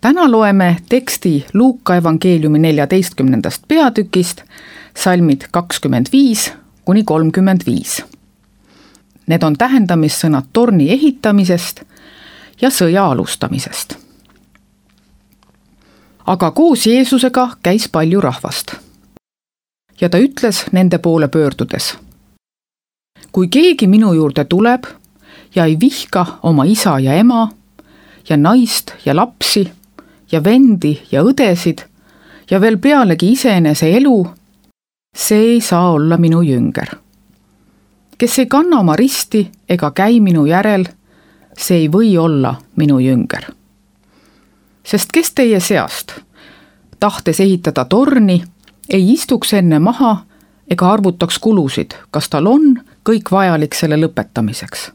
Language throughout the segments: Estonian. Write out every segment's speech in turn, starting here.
Täna loeme teksti Luuka evangeeliumi 14. peatükist, salmid 25–35. Need on tähendamissõnad torni ehitamisest ja sõja alustamisest. Aga koos Jeesusega käis palju rahvast. Ja ta ütles nende poole pöördudes: kui keegi minu juurde tuleb ja ei vihka oma isa ja ema ja naist ja lapsi ja vendi ja õdesid ja veel pealegi iseenese elu, see ei saa olla minu jünger. Kes ei kanna oma risti ega käi minu järel, see ei või olla minu jünger. Sest kes teie seast, tahtes ehitada torni, ei istuks enne maha ega arvutaks kulusid, kas tal on kõik vajalik selle lõpetamiseks.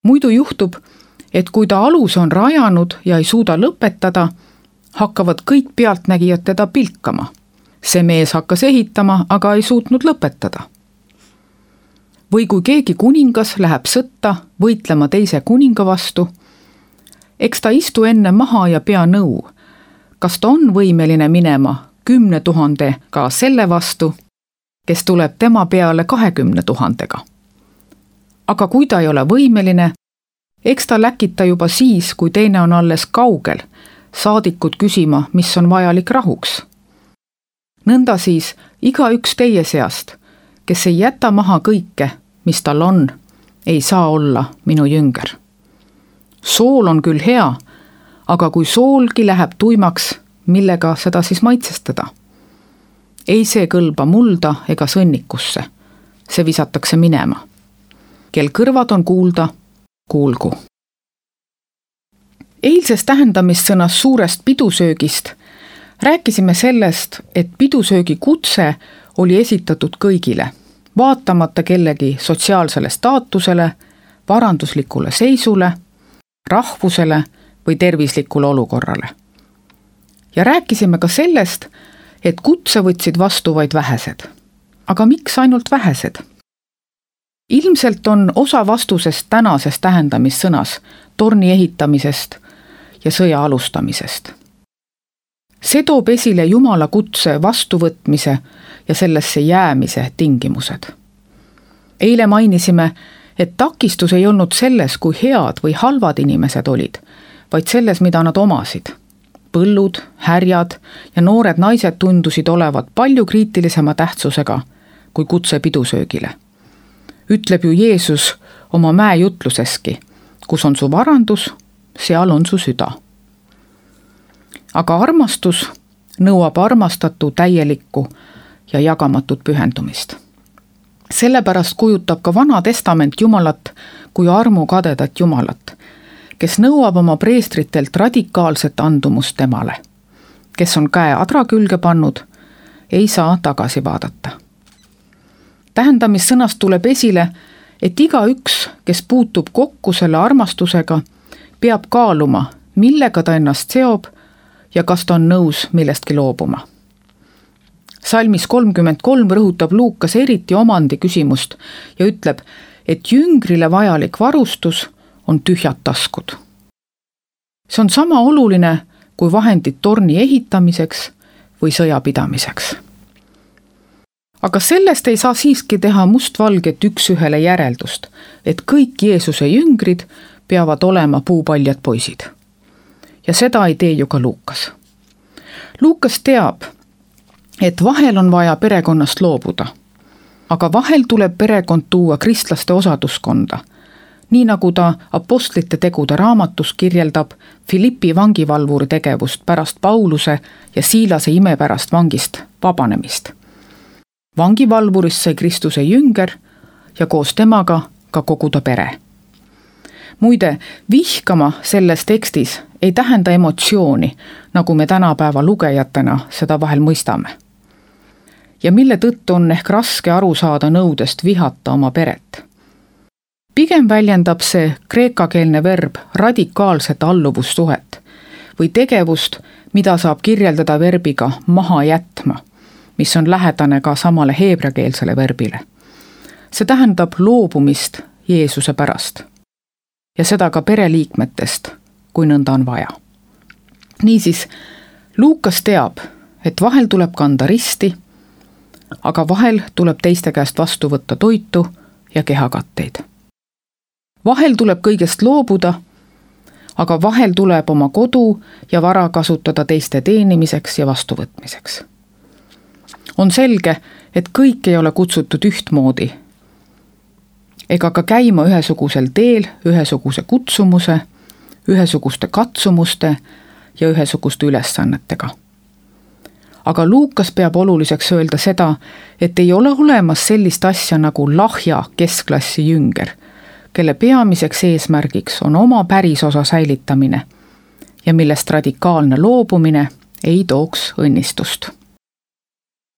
Muidu juhtub, et kui ta alus on rajanud ja ei suuda lõpetada, hakkavad kõik pealtnägijad teda pilkama. See mees hakkas ehitama, aga ei suutnud lõpetada. Või kui keegi kuningas läheb sõtta võitlema teise kuninga vastu, eks ta istu enne maha ja pea nõu, kas ta on võimeline minema 10 000 selle vastu, kes tuleb tema peale 20 000. Aga kui ta ei ole võimeline, eks ta läkita juba siis, kui teine on alles kaugel, saadikud küsima, mis on vajalik rahuks. Nõnda siis igaüks teie seast, kes ei jäta maha kõike, mis tal on, ei saa olla minu jünger. Sool on küll hea, aga kui soolgi läheb tuimaks, millega seda siis maitsestada? Ei see kõlba mulda ega sõnnikusse, see visatakse minema. Kel kõrvad on kuulda, kuulgu. Eilses tähendamissõnas suurest pidusöögist rääkisime sellest, et pidusöögi kutse oli esitatud kõigile, vaatamata kellegi sotsiaalsele staatusele, varanduslikule seisule, rahvusele või tervislikule olukorrale. Ja rääkisime ka sellest, et kutse võtsid vastu vaid vähesed. Aga miks ainult vähesed? Ilmselt on osa vastusest tänases tähendamissõnas torni ehitamisest ja sõja alustamisest. See toob esile Jumala kutse vastuvõtmise ja sellesse jäämise tingimused. Eile mainisime, et takistus ei olnud selles, kui head või halvad inimesed olid, vaid selles, mida nad omasid. Põllud, härjad ja noored naised tundusid olevat palju kriitilisema tähtsusega kui kutse pidusöögile. Ütleb ju Jeesus oma mäejutluseski, kus on su varandus, seal on su süda. Aga armastus nõuab armastatu täielikku ja jagamatut pühendumist. Sellepärast kujutab ka Vana Testament Jumalat kui armukadedat Jumalat, kes nõuab oma preestritelt radikaalset andumust temale. Kes on käe adra külge pannud, ei saa tagasi vaadata. Tähendamissõnast tuleb esile, et igaüks, kes puutub kokku selle armastusega, peab kaaluma, millega ta ennast seob ja kas ta on nõus millestki loobuma. Salmis 33 rõhutab Luukas eriti omandi küsimust ja ütleb, et jüngrile vajalik varustus on tühjad taskud. See on sama oluline kui vahendid torni ehitamiseks või sõja pidamiseks. Aga sellest ei saa siiski teha mustvalget üks-ühele järeldust, et kõik Jeesuse jüngrid peavad olema puupaljad poisid. Ja seda ei tee ju ka Luukas. Luukas teab, et vahel on vaja perekonnast loobuda, aga vahel tuleb perekond tuua kristlaste osaduskonda, nii nagu ta apostlite tegude raamatus kirjeldab Filippi vangivalvuri tegevust pärast Pauluse ja Siilase imepärast vangist vabanemist. Vangivalvurist sai Kristuse jünger ja koos temaga ka kogu ta pere. Muide, vihkama selles tekstis ei tähenda emotsiooni, nagu me tänapäeva lugejatena seda vahel mõistame. Ja mille tõttu on ehk raske aru saada nõudest vihata oma peret. Pigem väljendab see kreekakeelne verb radikaalset alluvussuhet või tegevust, mida saab kirjeldada verbiga maha jätma, mis on lähedane ka samale heebreakeelsele verbile. See tähendab loobumist Jeesuse pärast ja seda ka pereliikmetest, kui nõnda on vaja. Niisiis, Luukas teab, et vahel tuleb kanda risti, aga vahel tuleb teiste käest vastu võtta toitu ja kehakatteid. Vahel tuleb kõigest loobuda, aga vahel tuleb oma kodu ja vara kasutada teiste teenimiseks ja vastuvõtmiseks. On selge, et kõik ei ole kutsutud ühtmoodi, ega ka käima ühesugusel teel, ühesuguse kutsumuse, ühesuguste katsumuste ja ühesuguste ülesannetega. Aga Luukas peab oluliseks öelda seda, et ei ole olemas sellist asja nagu lahja keskklassi jünger, kelle peamiseks eesmärgiks on oma pärisosa säilitamine ja millest radikaalne loobumine ei tooks õnnistust.